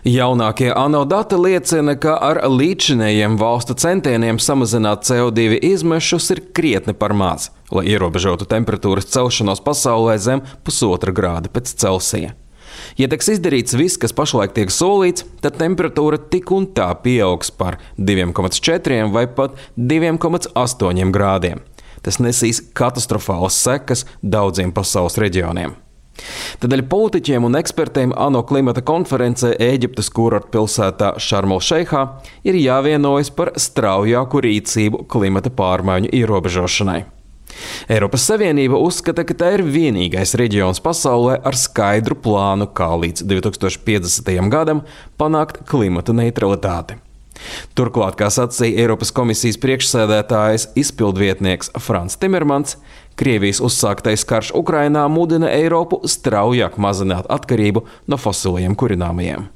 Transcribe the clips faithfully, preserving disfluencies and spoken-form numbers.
Jaunākie ANO dati liecina, ka ar līdzinējiem valstu centieniem samazināt C O divi izmešus ir krietni par maz, lai ierobežotu temperatūras celšanos pasaulē zem pusotra grāda pēc Celsija. Ja tiks izdarīts viss, kas pašlaik tiek solīts, tad temperatūra tik un tā pieaugs par divi komats četri vai pat divi komats astoņi grādiem. Tas nesīs katastrofālas sekas daudziem pasaules reģioniem. Tādēļ politiķiem un ekspertiem ANO klimata konferencē Ēģiptes kurortpilsētā Šarm-el-Šeihā ir jāvienojas par straujāku rīcību klimata pārmaiņu ierobežošanai. Eiropas Savienība uzskata, ka tā ir vienīgais reģions pasaulē ar skaidru plānu, kā līdz divi tūkstoši piecdesmitajam gadam panākt klimata neutralitāti. Turklāt, kā sacīja Eiropas komisijas priekšsēdētājs izpildvietnieks Frans Timermans, Krievijas uzsāktais karš Ukrainā mudina Eiropu straujāk mazināt atkarību no fosiliem kurināmajiem.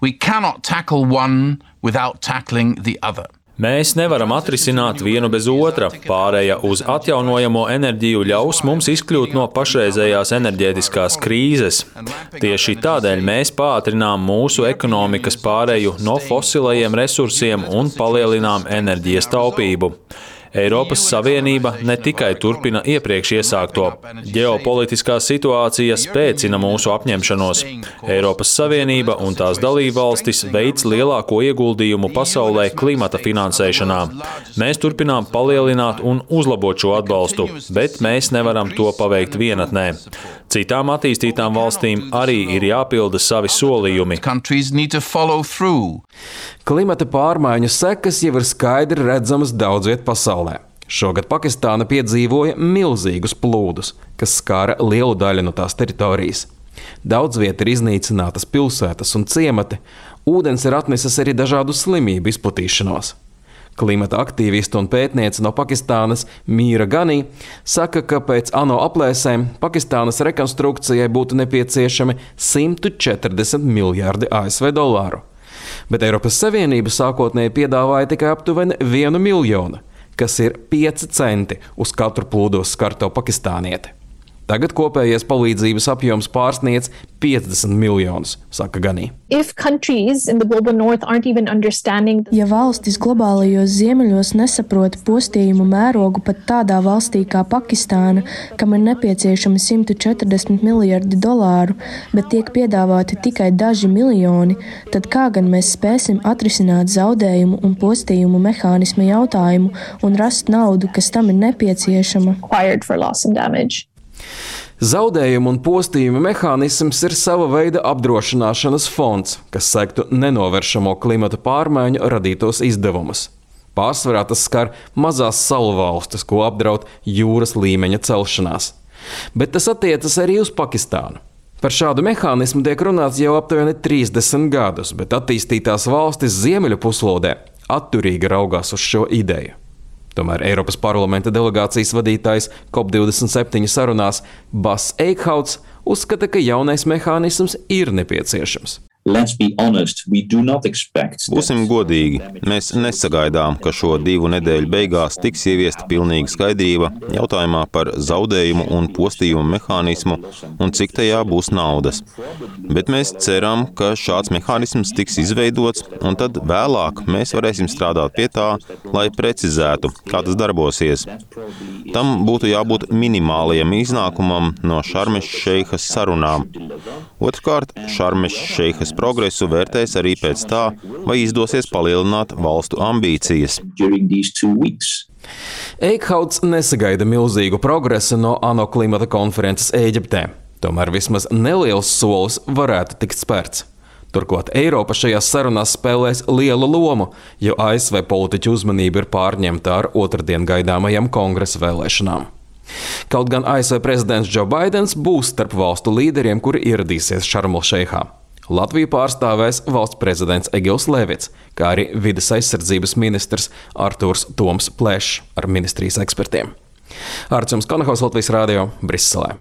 We cannot tackle one without tackling the other. Mēs nevaram atrisināt vienu bez otra. Pārēja uz atjaunojamo enerģiju ļaus mums izkļūt no pašreizējās enerģētiskās krīzes. Tieši tādēļ mēs pātrinām mūsu ekonomikas pārēju no fosilajiem resursiem un palielinām enerģijas taupību. Eiropas Savienība ne tikai turpina iepriekš iesākto. Ģeopolitiskā situācija spēcina mūsu apņemšanos. Eiropas Savienība un tās dalībvalstis veic lielāko ieguldījumu pasaulē klimata finansēšanā. Mēs turpinām palielināt un uzlabot šo atbalstu, bet mēs nevaram to paveikt vienatnē. Citām attīstītām valstīm arī ir jāpilda savi solījumi. Klimata pārmaiņu sekas jau ir skaidri redzamas daudz viet pasaulē. Šogad Pakistāna piedzīvoja milzīgus plūdus, kas skāra lielu daļu no tās teritorijas. Daudz viet ir iznīcinātas pilsētas un ciemati, ūdens ir atnesis arī dažādu slimību izplatīšanos. Klimata aktīviste un pētniece no Pakistānas Mīra Ganī saka, ka pēc ANO aplēsēm Pakistānas rekonstrukcijai būtu nepieciešami simt četrdesmit miljārdi A S V dolāru. Bet Eiropas Savienība sākotnēji piedāvāja tikai aptuveni vienu miljonu, kas ir pieci centi uz katru plūdos skarto pakistānieti. Tagad kopējais palīdzības apjoms pārsniedz piecdesmit miljonus, saka Ganī. Ja valstis globālajos ziemeļos nesaprot postījumu mērogu pat tādā valstī kā Pakistāna, kam ir nepieciešami simt četrdesmit miljardi dolāru, bet tiek piedāvāti tikai daži miljoni, tad kā gan mēs spēsim atrisināt zaudējumu un postījumu mehānismu jautājumu un rast naudu, kas tam ir nepieciešama? Zaudējumu un postījumu mehānisms ir sava veida apdrošināšanas fonds, kas sektu nenovēršamo klimata pārmaiņu radītos izdevumus. Pārsvarā tas skar mazās salu valstis, ko apdraud jūras līmeņa celšanās. Bet tas attiecas arī uz Pakistānu. Par šādu mehānismu tiek runāts jau aptuveni trīsdesmit gadus, bet attīstītās valstis Ziemeļu puslodē atturīgi raugās uz šo ideju. Tomēr Eiropas parlamenta delegācijas vadītājs COP divdesmit septiņi sarunās Bas Eikhauts uzskata, ka jaunais mehānisms ir nepieciešams. Būsim godīgi, mēs nesagaidām, ka šo divu nedēļu beigās tiks ieviesta pilnīga skaidrība jautājumā par zaudējumu un postījumu mehānismu un cik tajā būs naudas. Bet mēs ceram, ka šāds mehānisms tiks izveidots un tad vēlāk mēs varēsim strādāt pie tā, lai precizētu, kā tas darbosies. Tam būtu jābūt minimālajam iznākumam no Šarm-el-Šeihas sarunām. Otrkārt, Šarm-el-Šeihas progresu vērtēs arī pēc tā, vai izdosies palielināt valstu ambīcijas. Eikhauts nesagaida milzīgu progresu no ANO klimata konferences Ēģiptē. Tomēr vismaz neliels solis varētu tikt spērts. Turklāt Eiropa šajās sarunās spēlēs lielu lomu, jo A S V politiķu uzmanība ir pārņemta ar otrdien gaidāmajām kongresa vēlēšanām. Kaut gan A S V prezidents Džo Baidens būs starp valstu līderiem, kuri ieradīsies Šarm-el-Šeihā. Latviju pārstāvēs valsts prezidents Egils Levits, kā arī vides aizsardzības ministrs Artūrs Toms Plešs ar ministrijas ekspertiem. Arts Jums Konahaus, Latvijas radio, Briselē.